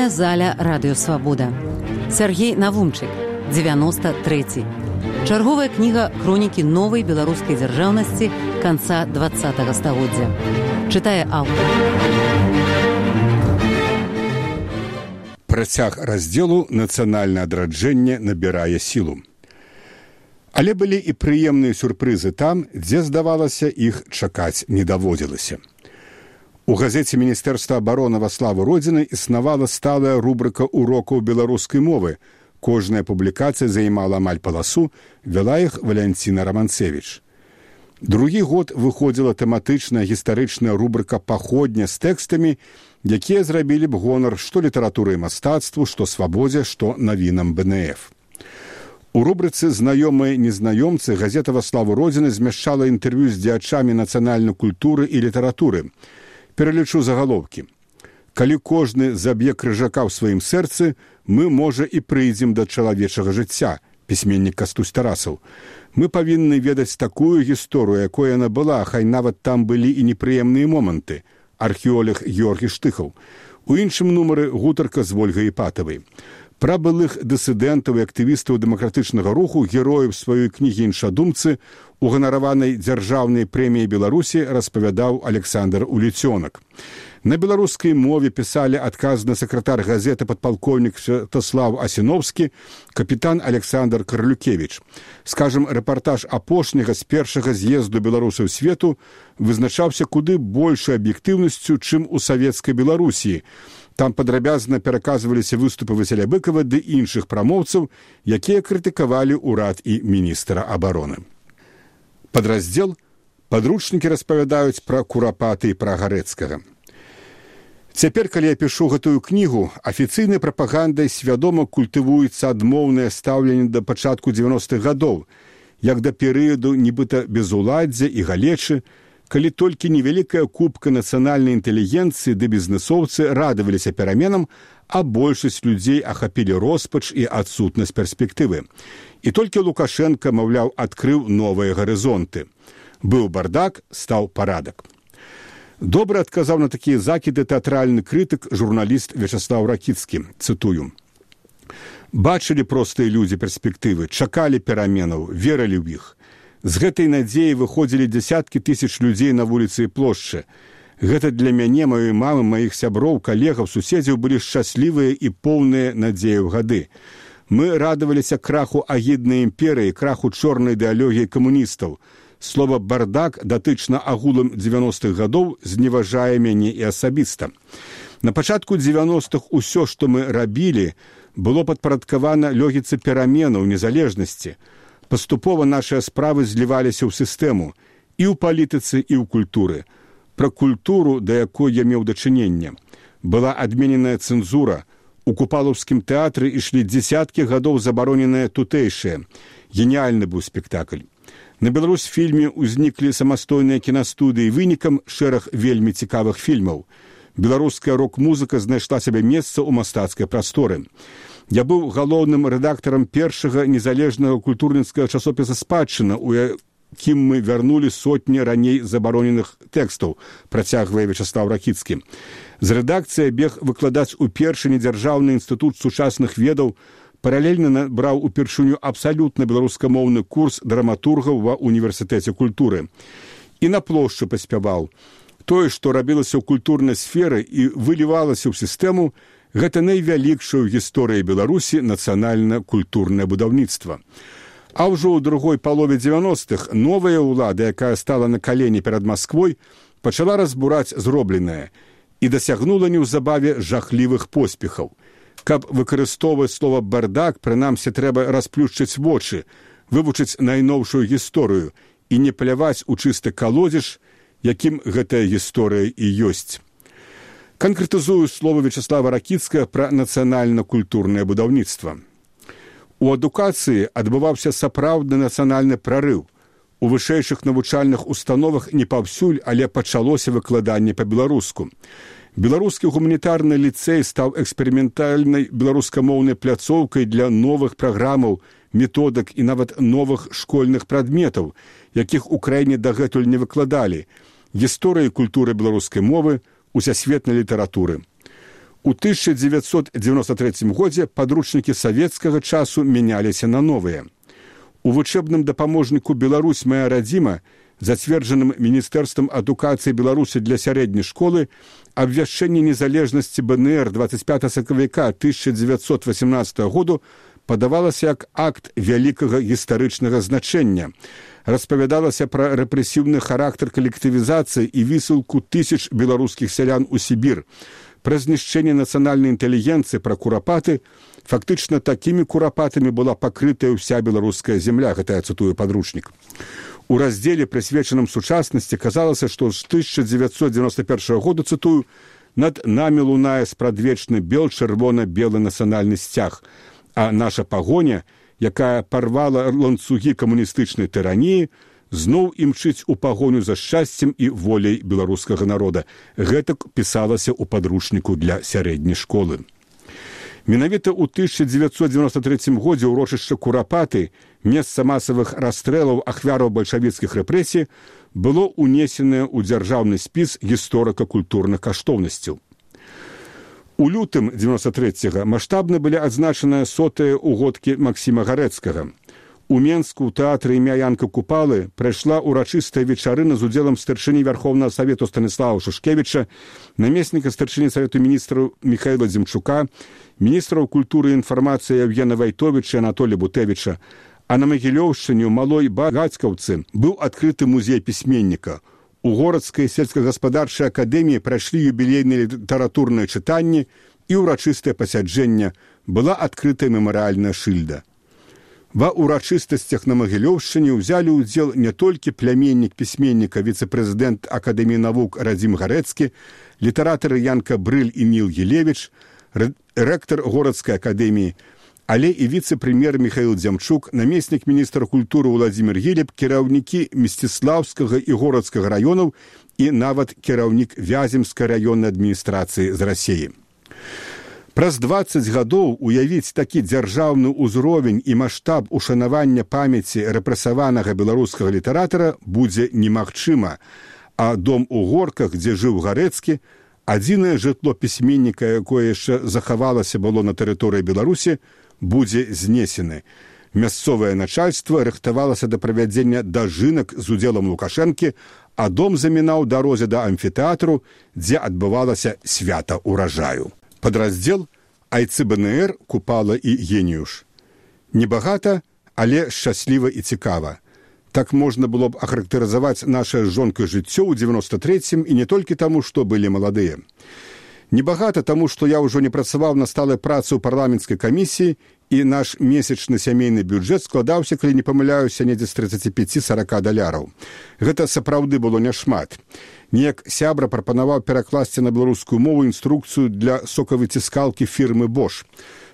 Літаратурная заля радыёвабода. Сяргей Навумчык, 93. Чарговая кніга хронікі новай беларускай дзяржаўнасці канца 20-го стагоддзя. Чытае аўтар. Працяг раздзелу «Нацыянальнае адраджэнне набірае сілу». Але былі і прыемныя сюрпрызы там, дзе, здавалася, іх чакаць не даводзілася. У газеце Міністэрства абароны «Во славу Родзіны» існавала сталая рубрыка урокаў беларускай мовы. Кожная публікацыя займала амаль паласу, вяла іх Валянціна Раманцевіч. Другі год выходзіла тэматычная гістарычная рубрыка «Паходня» з тэкстамі, якія зрабілі б гонар што літаратуры і мастацтву, што свабодзе, што навінам БНФ. У рубрыцы «Знаёмыя незнаёмцы» газета «Во славу Родзіны» змяшчала інтэрв'ю з дзеячамі нацыянальнай культуры і літаратуры. Пералічу загалоўкі. Калі кожны заб'е крыжака ў сваім сэрцы, мы, можа, і прыйдзем да чалавечага жыцця, пісьменнік Кастусь Тарасаў. Мы павінны ведаць такую гісторыю, якой яна была, хай нават там былі і непрыемныя моманты. Археолог Георгій Штыхаў. У іншым нумары гутарка з Вольгай Іпатавай. Пра былых дысідэнтаў і актывістаў дэмакратычнага руху герояў сваёй кнігі «Іншадумцы» у ганараванай дзяржаўнай прэміі Беларусі распавядаў Александр Уліцёнак. На беларускай мове пісалі адказны сакратар газеты падпалкоўнік Святаслав Асіновскі, капітан Александр Карлюкевіч. Скажам, рэпартаж апошняга з першага з'езду беларусаў свету вызначаўся куды большай аб'ектыўнасцю, чым у савецкай Беларусі. Там падрабязна пераказваліся выступы Васіля Быкава ды іншых прамоўцаў, якія крытыкавалі ўрад і міністра абароны. Падраздзел «Падручнікі распавядаюць пра Курапаты і пра Гарэцкага». Цяпер, калі я пішу гэтую кнігу, афіцыйнай прапагандай свядома культывуецца адмоўнае стаўленне да пачатку 90-х гадоў, як да перыяду нібыта безуладдзя і галечы, калі толькі невялікая купка нацыянальнай інтэлігенцыі ды бізнэсоўцы радаваліся пераменам, а большасць людзей ахапілі роспач і адсутнасць перспектывы. І толькі Лукашенка, маўляў, адкрыў новыя гарызонты. Быў бардак, стаў парадак. Добра адказаў на такія закіды тэатральны крытык, журналіст Вячаслаў Ракіцкі. Цытую. «Бачылі простыя людзі перспектывы, чакалі пераменаў, верылі ў іх. З гэтай надзеі выходзілі дзясяткі тысяч людзей на вуліцы і плошчы. Гэта для мяне, маёй мамы, маіх сяброў, калегаў, суседзяў былі шчаслівыя і поўныя надзею гады. Мы радаваліся краху агіднай імперыі, краху чорнай ідэалогіі камуністаў. Слова «бардак» датычна агулам 90-х гадоў зневажае мяне і асабіста. На пачатку 90-х усё, што мы рабілі, было падпарадкавана логіцы пераменаў, незалежнасці. Паступова нашыя справы зліваліся ў сістэму і ў палітыцы, і ў культуры. Пра культуру, да якой я меў дачыненне. Была адмененая цэнзура. У Купалаўскім тэатры ішлі дзесяткі гадоў забароненыя тутэйшыя. Геніальны быў спектакль. На Беларусьфільме ўзніклі самастойныя кінастудыі, вынікам шэраг вельмі цікавых фільмаў. Беларуская рок-музыка знайшла сабе месца ў мастацкай прасторы. Я быў галоўным рэдактарам першага незалежнага культурніцкага часопіса «Спадчына», у якім мы вярнулі сотні раней забароненых тэкстаў, працягвае Вячаслаў Ракіцкі. З рэдакцыі бег выкладаць у першы недзяржаўны інстытут сучасных ведаў, паралельна набраў упершыню абсалютна беларускамоўны курс драматургаў ва універсітэце культуры. І на плошчы паспяваў. Тое, што рабілася ў культурнай сферы і вылівалася ў сістэму, гэта найвялікшае ў гісторыі Беларусі нацыянальна-культурнае будаўніцтва. А ўжо ў другой палове 90-х новая ўлада, якая стала на калені перад Масквой, пачала разбураць зробленае і дасягнула неўзабаве жахлівых поспехаў. Каб выкарыстоўваць слова «бардак», прынамсі трэба расплюшчыць вочы, вывучыць найноўшую гісторыю і не пляваць у чысты калодзеж, якім гэтая гісторыя і ёсць. Канкрэтызую словы Вячаслава Ракіцкага пра нацыянальна-культурнае будаўніцтва. У адукацыі адбываўся сапраўдны нацыянальны прарыў. У вышэйшых навучальных установах не паўсюль, але пачалося выкладанне па-беларуску. Беларускі гуманітарны ліцэй стаў эксперыментальнай беларускамоўнай пляцоўкай для новых праграмаў, методак і нават новых школьных прадметаў, якіх у краіне дагэтуль не выкладалі. Гісторыі культуры беларускай мовы, усесветнай літаратуры. У 1993 годзе падручнікі савецкага часу мяняліся на новыя. У вучэбным дапаможніку «Беларусь моя радзіма», зацверджаным Міністэрствам адукацыі Беларусі для сярэдняй школы, абвяшчэнне незалежнасці БНР 25 сакавіка 1918 году падавалася як акт вялікага гістарычнага значэння. Распавядалася пра рэпрэсіўны характар калектывізацыі і высылку тысяч беларускіх сялян у Сібір, пра знішчэнне нацыянальнай інтэлігенцыі, пра курапаты. Фактычна такімі курапатамі была пакрытая ўся беларуская зямля, гэта я цытую падручнік. У раздзеле, прысвечаным сучаснасці, казалася, што з 1991 года, цытую, «над намі лунае спрадвечны бел чырвона-белы нацыянальны сцяг, а наша пагоня, якая парвала ланцугі камуністычнай тыраніі, зноў імчыць у пагоню за шчасцем і воляй беларускага народа». Гэтак пісалася ў падручніку для сярэдняй школы. Менавіта ў 1993 годзе ўрочышча Курапаты, месца масавых расстрэлаў ахвяраў бальшавіцкіх рэпрэсій, было ўнесенае ў дзяржаўны спіс гісторыка-культурных каштоўнасцяў. У лютым 93-го маштабна былі адзначаныя 100-е угодкі Максіма Гарэцкага. У Менску ў тэатры імя Янка Купалы прайшла ўрачыстая вечарына з удзелам старшыні Вярхоўнага Савету Станіслава Шушкевіча, намесніка старшыні Савету міністраў Міхаіла Дзімчука, міністраў культуры і інфармацыі Евгена Вайтовіча і Анатолія Бутевіча. А на Магілёўшчыне ў Малой Багацькаўцы быў адкрыты музей пісьменніка. У Горацкай сельскагаспадарчай акадэміі прайшлі юбілейныя літаратурныя чытанні і ўрачыстае пасяджэнне, была адкрытая мемарыяльная шыльда. Ва ўрачыстасцях на Магілёўшчыне ўзялі ўдзел не толькі пляменнік пісьменніка, віцэ-прэзідэнт Акадэміі навук Радзім Гарэцкі, літаратары Янка Брыль і Ніл Елевіч, рэктар Горацкай акадэміі, але і віцэ-прэм'ер Міхаіл Дзямчук, намеснік міністра культуры Владзімір Гілеб, кіраўнікі Мсціслаўскага і Горацкага раёнаў і нават кіраўнік Вяземскай раённай адміністрацыі з Расіі. Праз 20 гадоў уявіць такі дзяржаўны ўзровень і маштаб ушанавання памяці рэпрэсаванага беларускага літаратара будзе немагчыма, а дом у Горках, дзе жыў Гарэцкі, адзінае жытло пісьменніка, якое яшчэ захавалася было на тэрыторыі Беларусі, будзе знесены. Мясцовае начальства рыхтавалася да правядзення дажынак з удзелам Лукашэнкі, а дом замінаў дарозе да амфітэатру, дзе адбывалася свята ўражаю. Падраздзел «Айцы БНР, Купала і Геніюш». Небагата, але шчасліва і цікава. Так можна было б ахарактарызаваць нашае з жонкай жыццё ў 93-м і не толькі таму, што былі маладыя. Небагата таму, што я ўжо не працаваў на сталай працы ў парламенцкай камісіі і наш месячны сямейны бюджэт складаўся, калі не памыляюся, недзе з 35-40 даляраў. Гэта сапраўды было няшмат. Неяк сябра прапанаваў перакласці на беларускую мову інструкцыю для сокавыціскалкі фірмы Bosch.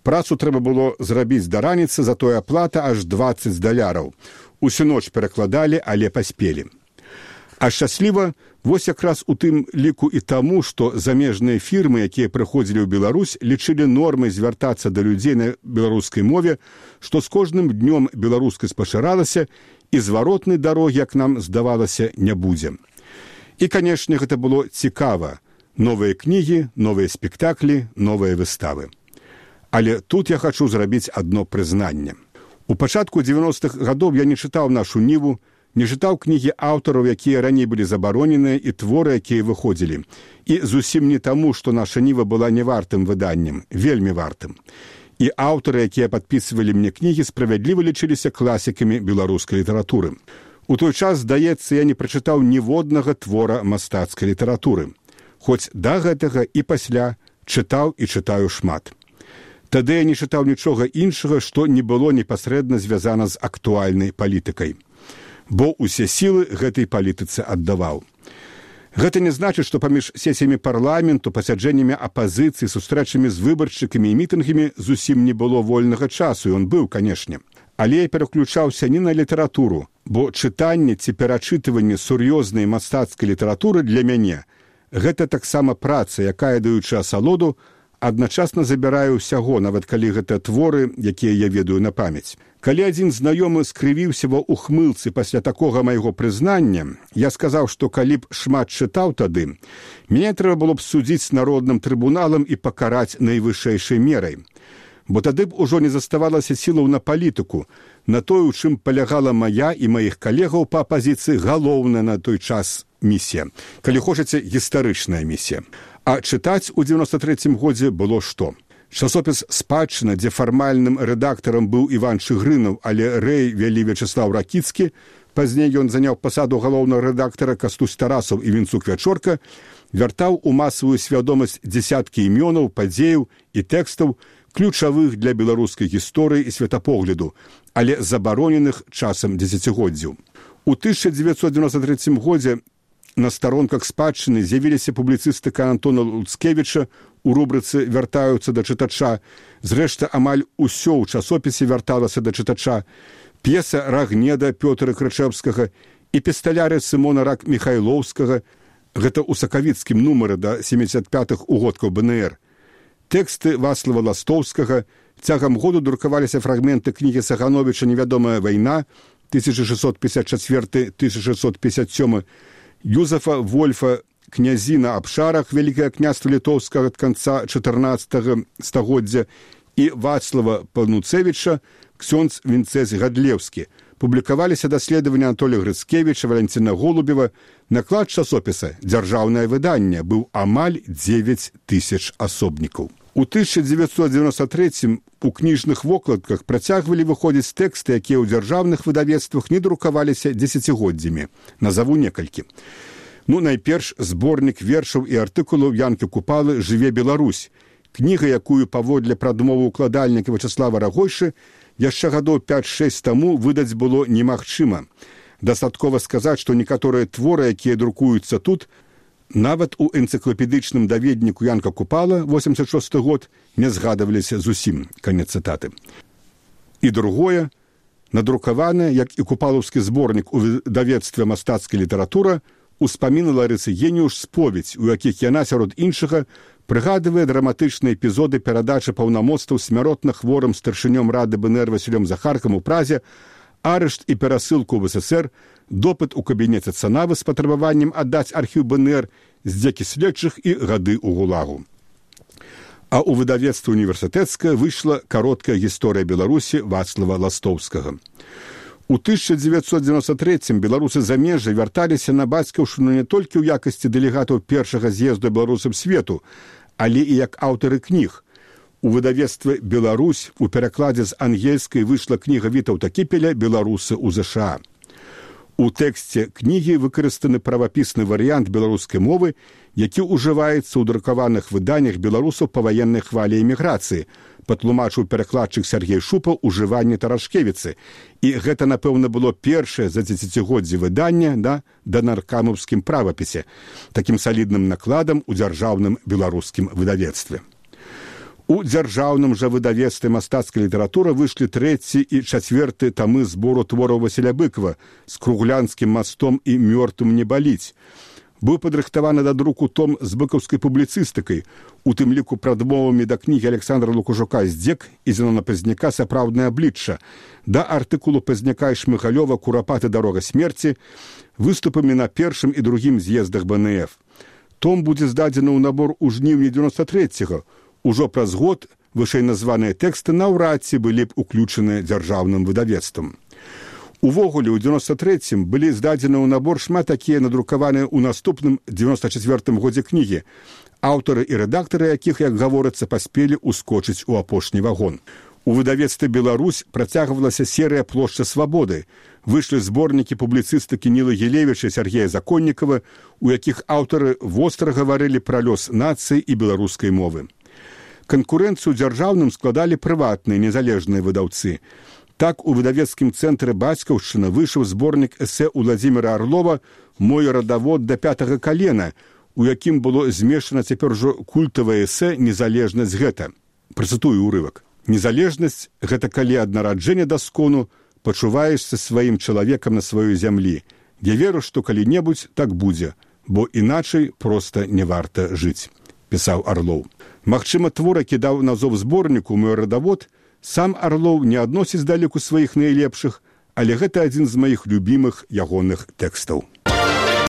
Працу трэба было зрабіць да раніцы, затое аплата аж 20 даляраў. Усю ноч перакладалі, але паспелі. А шчасліва вось якраз у тым ліку і таму, што замежныя фірмы, якія прыходзілі ў Беларусь, лічылі нормай звяртацца да людзей на беларускай мове, што з кожным днём беларускасць пашыралася і зваротнай дарогі, як нам здавалася, не будзе. І, канешне, гэта было цікава. Новыя кнігі, новыя спектаклі, новыя выставы. Але тут я хачу зрабіць адно прызнанне. У пачатку 90-х гадоў я не чытаў нашу ніву, не чытаў кнігі аўтараў, якія раней былі забароненыя, і творы, якія выходзілі. І зусім не таму, што наша ніва была не вартым выданнем, вельмі вартым. І аўтары, якія падпісвалі мне кнігі, справядліва лічыліся класікамі беларускай літаратуры. У той час, здаецца, я не прачытаў ніводнага твора мастацкай літаратуры. Хоць да гэтага і пасля чытаў і чытаю шмат. Тады я не чытаў нічога іншага, што не было непасрэдна звязана з актуальнай палітыкай. Бо ўсе сілы гэтай палітыцы аддаваў. Гэта не значыць, што паміж сесіямі парламенту, пасяджэннямі апазіцыі, сустрэчамі з выбаршчыкамі і мітынгамі зусім не было вольнага часу, і ён быў, канешне. Але я пераключаўся не на літаратуру, бо чытанне ці перачытыванне сур'ёзнай мастацкай літаратуры для мяне – гэта таксама праца, якая, даючы асалоду, адначасна забіраю ўсяго, нават калі гэта творы, якія я ведаю на памяць. Калі адзін знаёмы скрывіўся ва ухмылцы пасля такога майго прызнання, я сказаў, што калі б шмат чытаў тады, мяне трэба было б судзіць народным трыбуналам і пакараць найвышэйшай мерай. Бо тады б ужо не заставалася сілаў на палітыку, на тое, у чым палягала мая і маіх калегаў па апазіцыі галоўная на той час місія. Калі хочаце, гістарычная місія. А чытаць у 93-м годзе было што? Часопіс «Спадчына», дзе фармальным рэдактарам быў Іван Чыгрынаў, але рэй вялі Вячеслаў Ракіцкі, пазней ён заняў пасаду галоўнага рэдактара Кастусь Тарасаў і Вінцук Вячорка, вяртаў у масавую свядомасць дзесяткі імёнаў, падзеяў і тэкстаў, ключавых для беларускай гісторыі і светапогляду, але забароненых часам дзесяцігоддзяў. У 1993 годзе на старонках «Спадчыны» з'явіліся публіцыстыка Антона Луцкевіча у рубрыцы «Вяртаюцца да чытача». Зрэшты, амаль усё ў часопісе вярталася да чытача. П'еса «Рагнеда» Пётра Крычэўскага і «Пісталяры» Сымона Рак-Міхайлоўскага. Гэта ў сакавіцкім нумары да 75-х угодкаў БНР. Тэксты Вацлава Ластоўскага. Цягам году друкаваліся фрагменты кнігі Сагановіча «Невядомая вайна» 1654-1657, Юзефа Вольфа «Князі на абшарах» Вялікае княства літоўскага ад канца 14 стагоддзя і Вацлава Пануцевіча «Ксёндз Вінцэз Гадлеўскі». Публікаваліся даследаванні Анатолія Грыцкевіча, Валянціна Голубева. Наклад часопіса «Дзяржаўнае выданне» быў амаль 9 тысяч асобнікаў. У 1993 у кніжных вокладках працягвалі выходзіць тэксты, якія ў дзяржаўных выдавецтвах не друкаваліся дзесяцігоддзямі. Назаву некалькі. Найперш зборнік вершаў і артыкулаў Янкі Купалы «Жыве Беларусь». Кніга, якую паводле прадмовы ўкладальніка Вячеслава Рагойшы яшчэ гадоў 5-6 таму выдаць было немагчыма. Дастаткова сказаць, што некаторыя творы, якія друкуюцца тут, нават у энцыклапедычным даведніку Янка Купала, 86 год, не згадываліся зусім. Канец цытаты. І другое, надрукаванае, як і купалаўскі зборнік у выдавецтве «Мастацкая літаратура», успаміны Ларысы Геніуш споведь, у якіх яна, сярод іншага, прыгадвае драматычныя эпізоды перадачы паўнамоцтваў смяротна хворым старшынём рады БНР Васілём Захаркам у Празе, арышт і перасылку ў СССР, допыт у кабінеце Цанавы з патрабаваннем аддаць архіў БНР, здзекі следчых і гады ў ГУЛАГу. А ў выдавецтве універсітэцкае выйшла кароткая гісторыя Беларусі Вацлава Ластоўскага. У 1993 беларусы замежжа вярталіся на бацькаўшчыну не толькі ў якасці дэлегатаў першага з'езду беларусам свету, але і як аўтары кніг. У выдавецтве «Беларусь» у перакладзе з ангельскай выйшла кніга Вітаўта Кіпеля «Беларусы ў ЗША». У тэксце кнігі выкарыстаны правапісны варыянт беларускай мовы, які ўжываецца ў друкаваных выданнях беларусаў па ваеннай хвалі эміграцыі, патлумачыў перакладчык Сергей Шупа ўжыванне таражкевіцы. І гэта, напэўна, было першае за дзесяцігоддзе выдання да наркамаўскім правапісе, такім салідным накладам у дзяржаўным беларускім выдавецтве. У дзяржаўным жа выдавецтве «Мастацкая літаратура» выйшлі 3 і 4 тамы збору твораў Васіля Быкова з «Круглянскім мастом» і «Мёртвым не баліць». Быў падрыхтаваны да друку том з быкаўскай публіцыстыкай, у тым ліку прадмовамі да кнігі Александра Лукашука «Здзек» і Зенона Пазняка «Сапраўднае аблічча», да артыкулу Пазняка і Шмыгалёва «Курапаты дарога смерці», выступамі на першым і другім з'ездах БНФ. Том будзе здадзены ў набор у жніўні 93-го. Ужо праз год вышэйназваныя тэксты наўрад ці былі б уключаны дзяржаўным выдавецтвам. Увогуле, у 93-м былі здадзены ў набор шмат такія надрукаваныя ў наступным 94-м годзе кнігі, аўтары і рэдактары якіх, як гаворыцца, паспелі ускочыць у апошні вагон. У выдавецтве «Беларусь» працягвалася серыя «Плошча свабоды». Выйшлі зборнікі публіцыстыкі Нілы Гілевіча і Сергея Законнікава, у якіх аўтары востра гаварылі пра лёс нацыі і беларускай мовы. Канкурэнцыю дзяржаўным складалі прыватныя незалежныя выдаўцы. Так, у выдавецкім цэнтры «Бацькаўшчына» выйшаў зборнік эсэ Уладзіміра Арлова «Мой радавод да 5-го калена», у якім было змешана цяпер ужо культавае эсэ «Незалежнасць гэта». Працытую ўрывак. «Незалежнасць – гэта калі ад нараджэння да скону пачуваешся сваім чалавекам на сваёй зямлі. Я веру, што калі-небудзь так будзе, бо іначай проста не варта жыць», – пісаў Арлоў. Магчыма, твор, які даў назов зборніку «Мой радавод», сам Арлоў не адносіць далеку сваіх найлепшых, але гэта адзін з маіх любімых ягоных тэкстаў.